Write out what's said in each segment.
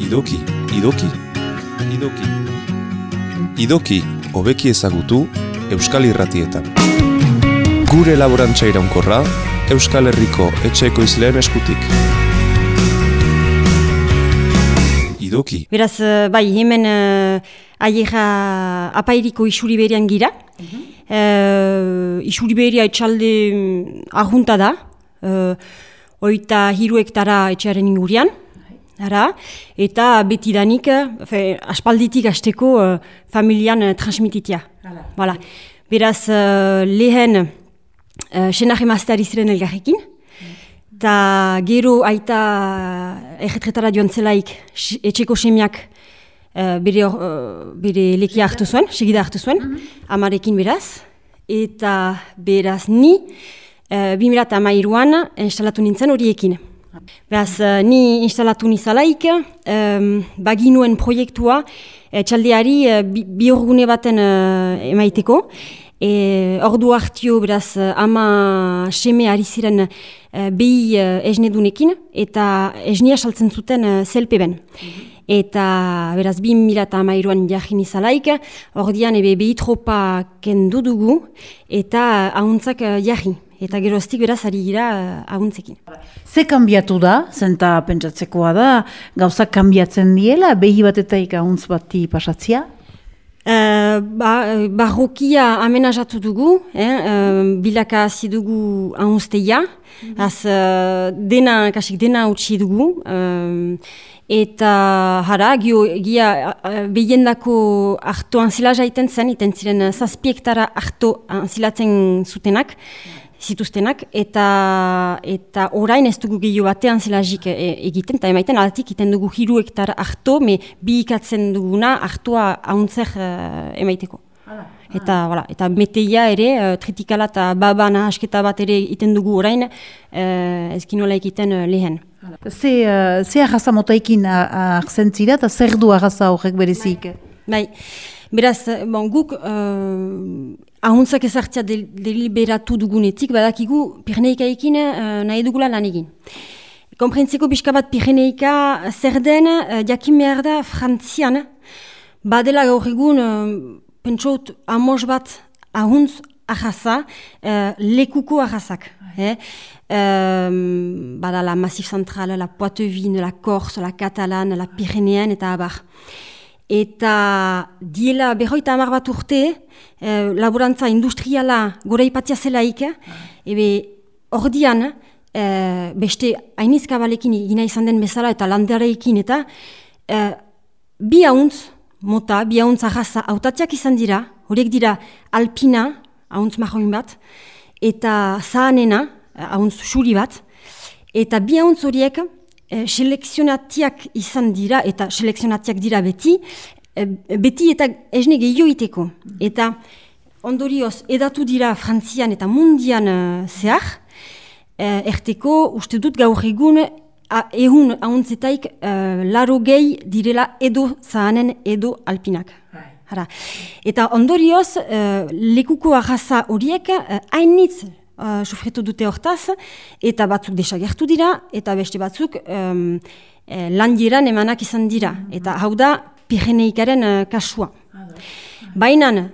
Idoki, idoki, idoki. Idoki, hobeki ezagutu, Euskal Irratietan. Gure laborantza iraunkorra, Euskal Herriko etxe ekoizleen eskutik. Idoki. Beraz, bai, hemen aiera apairiko isuriberian gira. Isuriberia etxalde arjunta da. 23 hektara etxearen ingurian. Ara, eta betidanik, aspalditik hasteko familian transmititia. Voilà. Beraz, lehen senar emazteari ziren elgarrekin, eta gero aita erretretara joan zelaik etxeko semiak bere lekia hartu zuen, segida hartu zuen, amarekin beraz, eta beraz ni 2013an instalatu nintzen horiekin. Beraz, ni instalatu nizalaik, baginuen proiektua txaldeari biorgune baten emaiteko. Ordu hartio, beraz, ama seme ari ziren behi esnedunekin, eta esnia saltzen zuten zelpeben. Eta, beraz, 2013an jarri nizalaik, ordian behi tropa kendu dugu, eta ahuntzak jarri. Eta geroztik beraz ari gira ahuntzekin. Ze kanbiatu da, zenta pentsatzekoa da, gauzak kanbiatzen diela, behi batetaik ahuntz bati pasatzia? Barrokia amenazatu dugu, bilaka hasi dugu ahuntzteia, dena utzi dugu, eta hara, gia behiendako harto anzila jaiten zen, iten ziren 7 hektara harto anzilatzen zutenak, zituztenak, eta orain ez dugu gehiago batean zelazik egiten, eta emaiten altik iten dugu 3 hektara harto, bi ikatzen duguna hartoa ahuntzer emaiteko. Eta meteia ere, tritikala eta babana asketa bat ere iten dugu orain, ezkinola egiten lehen. Ze arraza motaikin arzentzira eta zer du arraza horrek berezik? Bai, beraz, guk ahuntzak ezartzea deliberatu dugunetik, badakigu Pireneikaekin nahi dugula lan egin. Konprentzeko pixka bat Pireneika zer den, jakin behar da Frantzian, badela gaur egun, pentsot amos bat ahuntz arraza, lekuko arrazak. Bada la Massif Central, la Poitevine, la Corse, la Catalane, la Pyrénéenne eta abar. Eta diela 50 bat urte, laborantza industriala gora ipatia zelaik, ordian, beste hainizkabalekin gina izan den bezala eta landareekin eta bi ahuntz mota, bi ahuntz arraza autatziak izan dira, horiek dira alpina, ahuntz marroin bat, eta zahanena, ahuntz xuri bat, eta bi ahuntz horiek selekzionatiak izan dira, eta selekzionatiak dira beti eta esne gehioiteko. Eta ondorioz edatu dira Frantzian eta mundian zehar, erteko uste dut gaur egun ehun ahuntzetaik 80 direla edo zahanen edo alpinak. Eta ondorioz lekuko arraza horiek hainitz sufritu dute hortaz, eta batzuk desagertu dira, eta beste batzuk landieran emanak izan dira. Eta hau da Pireneikaren kasua. Baina,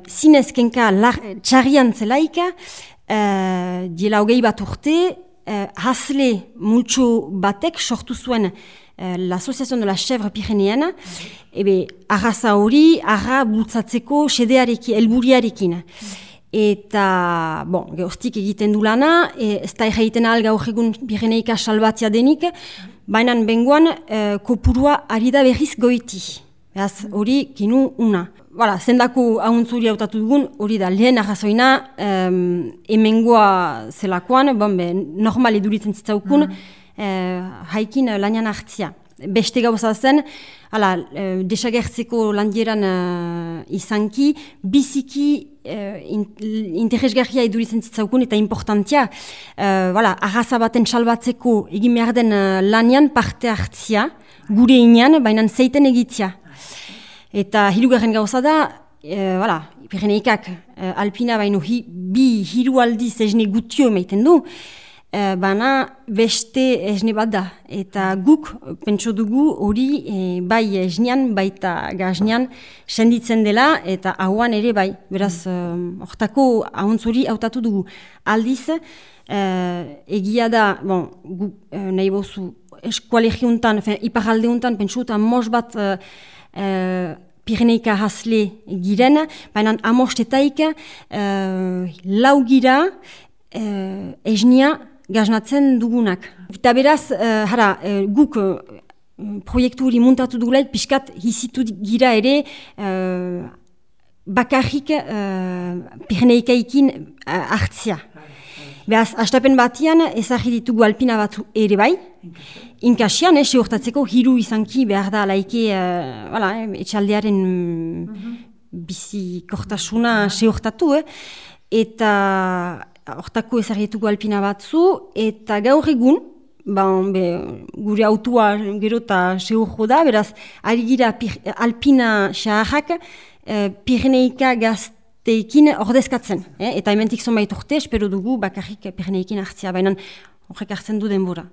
zinez kenka txarrian zelaik, diela 20 bat urte, hasle multxo batek sortu zuen l'Association de la Chèvre Pyrénéenne, arraza hori, arra bultzatzeko sedearekin, helburiarekin. Eta, geostik egiten du lana, ez da egiten ahal gaur egun Pireneika salbatzea denik, baina bengoan kopurua ari da berriz goiti. Beraz, hori kinu una. Zendako ahuntzuri hautatu dugun, hori da lehen arrazoina, hemengoa zelakoan, normal eduritzen zitzaukun, haikin lanian hartzia. Beste gauza zen, desagertzeko landieran izanki, biziki interesgarria eduritzen zitzaukun eta importantia, arraza baten salbatzeko egin behar den lanian parte hartzia, gure inean, baina zeiten egitzia. Eta hirugarren gauza da, Pireneikak alpina baino bi hiru aldiz esne gutio emaiten du, Baina beste esne bat da. Eta guk pentso dugu hori bai esnean baita gaznean senditzen dela eta hauan ere bai. Beraz, hortako ahuntz hori hautatu dugu. Aldiz, egia da, nahi bozu, eskualegiuntan, iparaldeuntan, pentsu eta mos bat Pireneika hasle giren, baina amostetaik lau gira esnia gaznatzen dugunak. Eta beraz, guk proiektu hori muntatu dugulaik, pixkat hizitu gira ere bakarrik Pireneikaikin hartzia. Beraz, astapen batian ezagri ditugu alpina batzu ere bai, inkasian, seurtatzeko hiru izanki behar da laike etxaldearen bizikortasuna seurtatu, eta hortako ezagituko alpina batzu, eta gaur egun, gure autua gero eta seurro da, beraz, ari gira alpina xaharrak Pireneika gazteekin ordezkatzen. Eta hementik zonbait urte, espero dugu bakarrik Pireneikin hartzia, baina horrek hartzen du denbora.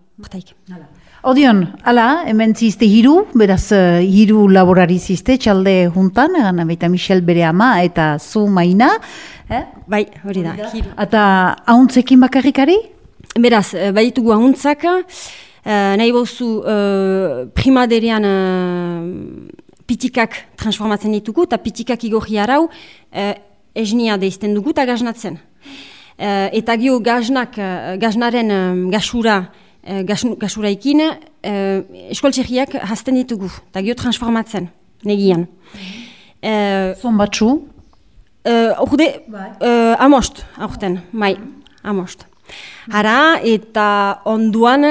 Odion, hemen zizte hiru, beraz hiru laborari zizte, txalde juntan, baita Michel bere ama eta zu Maina. Bai, hori da. Eta ahuntzekin bakarrikari? Beraz, baditugu ahuntzak, nahi bozu primaderean pitikak transformatzen ditugu, eta pitikak igorri arau esnia deizten dugu eta gaznatzen. Eta gio gaznaren gasuraikin eskualtxerriak hasten ditugu, eta gio transformatzen, negian. Zon batzu? Amost, aurten, amost. Hara, eta onduan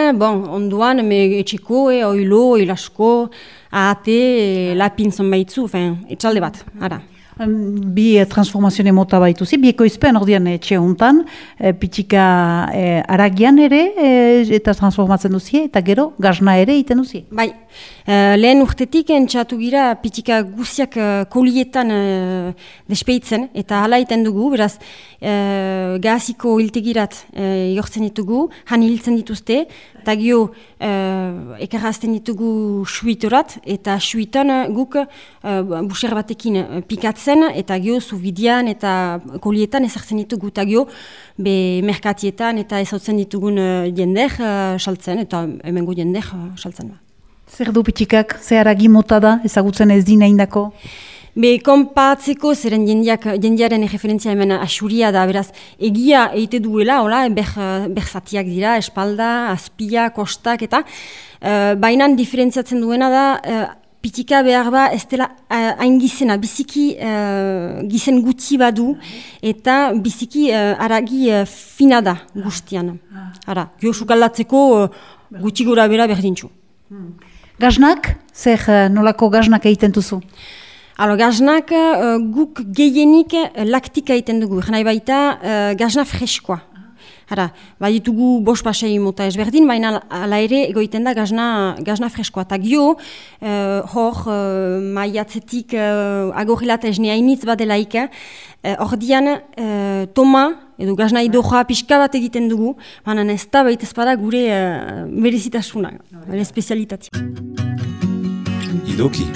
etxeko, oilo, oilasko, ahate, lapin zonbaitzu, etxalde bat, hara. Bi transformazioen mota baituzi, bi ekoizpen ordean etxe hontan, pitika aragian ere eta transformatzen duzie, eta gero gazna ere egiten duzie. Bai, lehen urtetik entxatu gira pitika guziak kolietan despeitzen, eta hala egiten dugu, beraz gaziko hiltegirat jortzen ditugu, han hiltzen dituzte, eta gio ekarrazten ditugu suitorat, eta suitan guk buser batekin pikatzen, eta gio zubidian eta kolietan ezartzen ditugu, eta gio merkatietan eta ezautzen ditugun jender saltzen, eta hemengo jender saltzen. Zer du pitikak, zer aragi mota da, ezagutzen ez dina indako? Konpatzeko zeren jendiaren referentzia hemen asuria da, beraz, egia eite duela, berzatiak dira, espalda, azpia, kostak, eta bainan diferentziatzen duena da, pitika behar ba, ez dela hain gizena, biziki gizen gutxi badu, eta biziki aragi fina da guztian. Gio sukaldatzeko gutxi gora bera berdintxu. Gaznak? Zer nolako gaznak egiten duzu? Gaznak guk gehienik laktika egiten dugu, nahi baita gazna freskoa. Baditugu bost pasei mota ezberdin, baina ala ere egoiten da gazna freskoa. Eta gio, maiatzetik agorrilat esnea initz badelaik, ordian toma, edo gazna idoja pixka bat egiten dugu, baina ez da baita ezpada gure berezitasuna, gure espezialitatea. Idoki.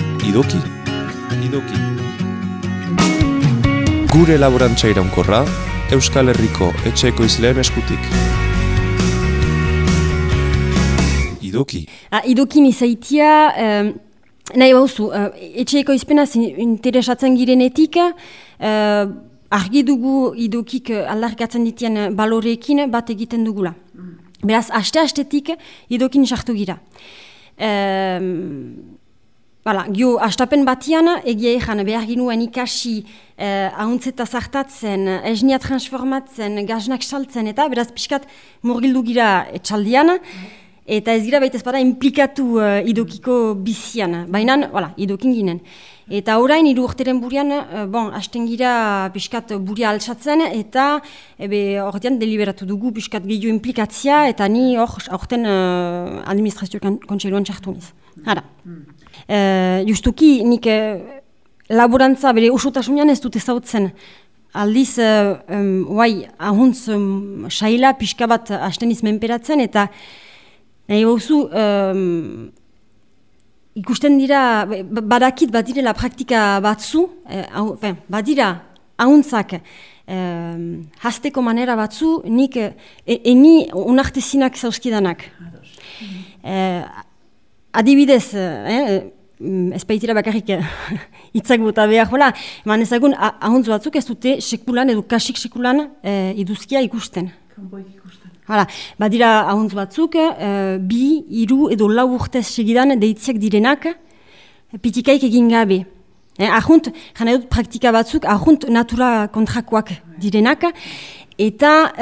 Gure laborantza iraunkorra, Euskal Herriko etxe ekoizleen eskutik. Idoki. Idokin izaitia, nahi bauzu, etxe ekoizpenaz interesatzen girenetik, argi dugu idokik aldarrikatzen ditien baloreekin bat egiten dugula. Beraz, aste-astetik idokin sartu gira. Gio, astapen batian, egia ezan behar ginuen ikasi ahuntzeta zartatzen, esnia transformatzen, gaznak saltzen, eta beraz pixkat murgildu gira etxaldian, eta ez gira baita ezpada implikatu idokiko bizian, baina, idokin ginen. Eta orain, 3 urteren burian, hasten gira pixkat buria altsatzen, eta ordean deliberatu dugu pixkat gehiago implikatzia, eta ni orten administrazio kontseiluan txartu niz. Justuki, nik laborantza bere osotasunean ez dut ezautzen aldiz, ahuntz saila pixka bat hasten izmenperatzen, eta nahi bauzu, ikusten dira, badakit badirela praktika batzu, badira ahuntzak hasteko manera batzu, nik eni unartezinak zauzkidanak. Adibidez, ez baitira bakarrik hitzak bota behar, eman ezagun ahuntz batzuk ez dute sekulan edo kasik sekulan iduzkia ikusten. Hala, badira ahuntz batzuk, 2, 3 edo 4 urtez segidan deitziak direnak, pitikaik egin gabe. Ahunt, jana dut praktika batzuk, ahunt natura kontrakoak direnak, eta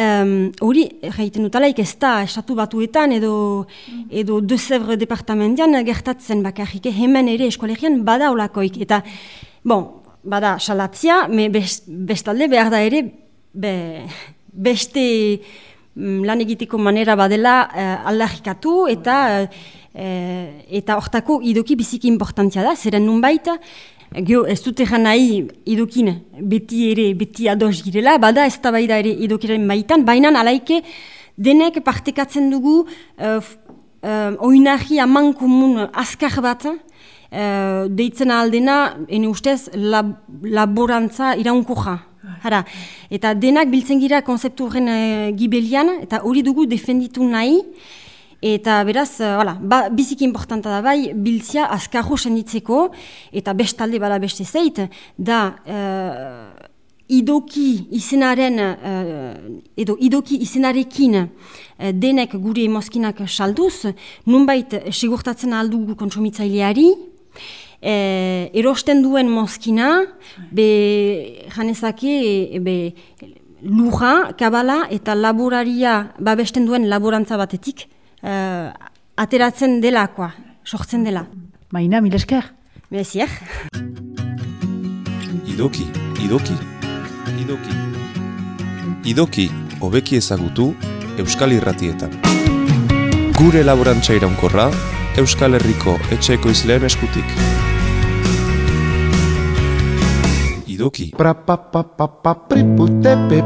hori, jaiten dutalaik ez da estatu batuetan edo De Sèvres departamentian gertatzen bakarrik, hemen ere eskolegian bada olakoik. Eta, bada salatzia, bestalde behar da ere beste lan egiteko manera badela aldarrikatu eta hortako idoki biziki importantzia da, zeren nunbait, ez dute nahi idokin beti ados girela, bada ez da baida ere idokiren baitan, baina alaike denek partekatzen dugu oinarri aman komun azkar bat, deitzen aldena, ene ustez, laborantza iraunkoja. Hara, eta denak biltzen gira konzeptu horren gibelian, eta hori dugu defenditu nahi, eta beraz, biziki importanta da bai, biltzia azkarro senditzeko, eta bestalde bada beste zeit, da idoki izenaren, edo idoki izenarekin denek gure mozkinak salduz, nunbait segurtatzen aldugu kontsumitzaileari, erosten duen mozkina, janezake lurra, kabala eta laboraria babesten duen laborantza batetik ateratzen delakoa, sortzen dela. Maina, mil esker. Mezier. Idoki. Idoki, hobeki ezagutu Euskal Irratietan. Gure laborantza iraunkorra, Euskal Herriko etxeko izleen eskutik. Idoki. Priputepe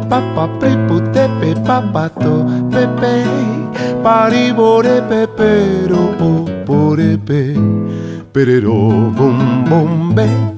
papa priputepe papato pepe paribore pepero porepe perero bom bombe.